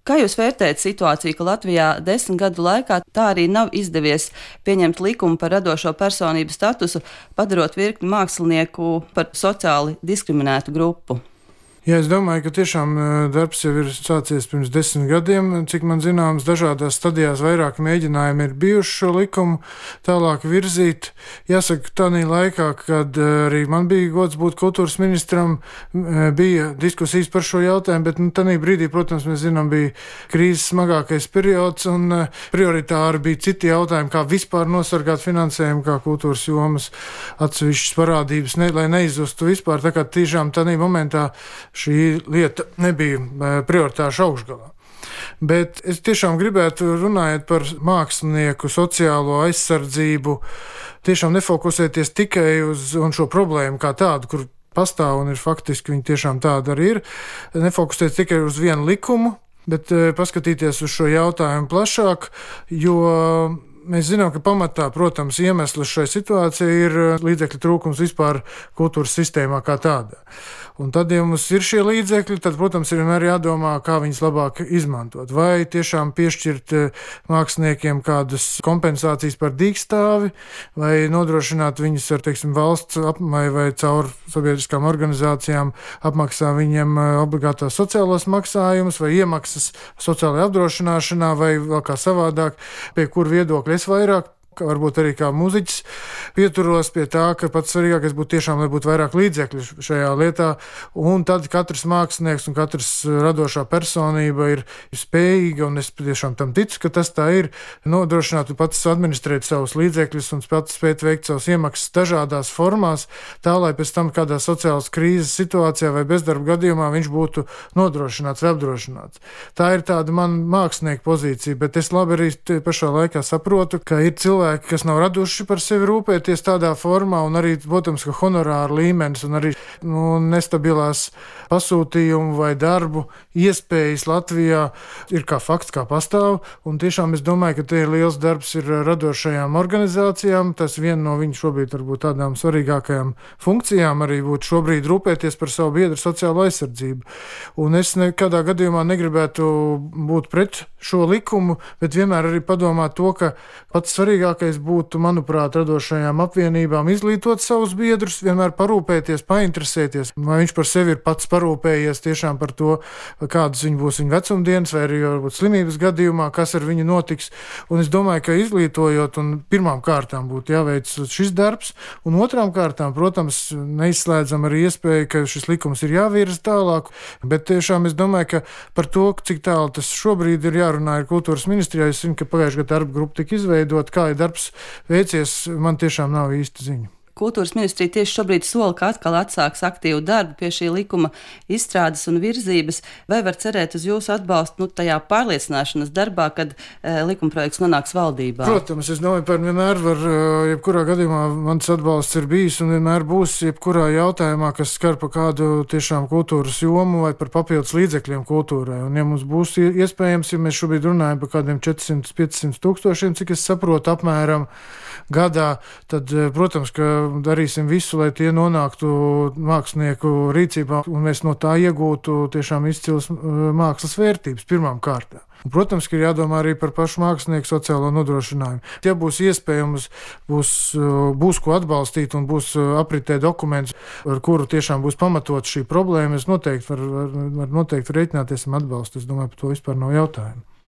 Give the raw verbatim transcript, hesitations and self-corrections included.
Kā jūs vērtējat situāciju, ka Latvijā desmit gadu laikā tā arī nav izdevies pieņemt likumu par radošo personību statusu, padarot virkni mākslinieku par sociāli diskriminētu grupu? Jā, es domāju, ka tiešām darbs jau ir sācies pirms desmit gadiem. Cik man zināms, dažādās stadijās vairāk mēģinājumi ir bijuši šo likumu tālāk virzīt. Jāsaka, tādā laikā, kad arī man bija gods būt kultūras ministram, bija diskusijas par šo jautājumu, bet nu, tādā brīdī, protams, mēs zinām, bija krīzes smagākais periods un prioritāri bija citi jautājumi, kā vispār nosargāt finansējumu, kā kultūras jomas atsevišķas parādības, ne, lai neizzustu vispār. Tā kā tiešām tādā momentā šī lieta nebija prioritāša augšgalā. Bet es tiešām gribētu, runājot par mākslinieku sociālo aizsardzību, tiešām nefokusēties tikai uz šo problēmu kā tādu, kur pastāv un ir faktiski viņi tiešām tāda arī ir, nefokusēties tikai uz vienu likumu, bet paskatīties uz šo jautājumu plašāk, jo mēs zinām, ka pamatā, protams, iemesls šai situācijai ir līdzekļu trūkums vispār kultūras sistēmā kā tādā. Un tad, ja mums ir šie līdzekļi, tad, protams, ir vienmēr jādomā, kā viņus labāk izmantot. Vai tiešām piešķirt māksliniekiem kādas kompensācijas par dīkstāvi, vai nodrošināt viņus ar, teiksim, valsts apmai vai caur sabiedriskām organizācijām apmaksā viņiem obligātās sociālos maksājumus vai iemaksas sociālajā apdrošināšanā vai vēl kā savādāk, pie kur viedokļa es vairāk, varbūt arī kā mūziķis, pieturos pie tā, ka pats svarīgākais būtu tiešām, lai būtu vairāk līdzekļu šajā lietā, un tad katrs mākslinieks un katrs radošā personība ir spējīga, un es tiešām tam ticu, ka tas tā ir, nodrošināt un pats administrēt savus līdzekļus un pats spēt veikt savus iemaksas dažādās formās, tā, lai pēc tam kādā sociālas krīzes situācijā vai bezdarba gadījumā viņš būtu nodrošināts vai apdrošināts. Tā ir tāda man mākslinieka pozīcija, bet es labi arī pašā laikā saprotu, ka ir cilvēki, kas nav raduši par sevi rūpēties tādā formā, un arī, protams, ka honorāra līmenis un arī nu, nestabilās pasūtījumu vai darbu iespējas Latvijā ir kā fakts, kā pastāv, un tiešām es domāju, ka te ir liels darbs ir radošajām organizācijām, tas viena no viņu šobrīd varbūt tādām svarīgākajām funkcijām arī būtu šobrīd rūpēties par savu biedru sociālo aizsardzību. Un es nekādā gadījumā negribētu būt pret šo likumu, bet vienmēr arī padomāt to, ka pats svarīgākais būtu, manuprāt, radošajām apvienībām izglītot savus biedrus, vienmēr parūpēties, painteresēties, vai viņš par sevi ir pats parūpējies tiešām par to, kādas viņa būs viņa vecumdienas, vai arī varbūt slimības gadījumā, kas ar viņu notiks. Un es domāju, ka izglītojot, un pirmām kārtām būtu jāveic šis darbs, un otrām kārtām, protams, neizslēdzam arī iespēju, ka šis likums ir jāvirza tālāk, bet tiešām es domāju, ka par to, cik tālu tas šobrīd ir jārunā ar kultūras ministrijā, es zinu, ka pagājušajā gadā darba grupa tika izveidot, kā ir darbs veicies, man tiešām nav īsti ziņa. Kultūras ministrija tieši šobrīd sola, ka atkal atsāks aktīvu darbu pie šī likuma izstrādes un virzības. Vai var cerēt uz jūsu atbalstu nu, tajā pārliecināšanas darbā, kad e, likumprojekts nonāks valdībā? Protams, es domāju, par vienmēr var, jebkurā gadījumā mans atbalsts ir bijis un vienmēr būs jebkurā jautājumā, kas skar pa kādu tiešām kultūras jomu vai par papildus līdzekļiem kultūrai. Un ja mums būs iespējams, ja mēs šobrīd runājam par kādiem četrsimt līdz piecsimt tūkstošiem, cik es saprotu apmēram gadā, tad, protams, ka darīsim visu, lai tie nonāktu mākslinieku rīcībā un mēs no tā iegūtu tiešām izcils mākslas vērtības pirmām kārtām. Un, protams, ka ir jādomā arī par pašu mākslinieku sociālo nodrošinājumu. Ja būs iespējams, būs, būs ko atbalstīt un būs apritē dokuments, ar kuru tiešām būs pamatot šī problēma, es noteikti var, var, var noteikti rēķināties un atbalstu. Es domāju, par to vispār nav jautājumu.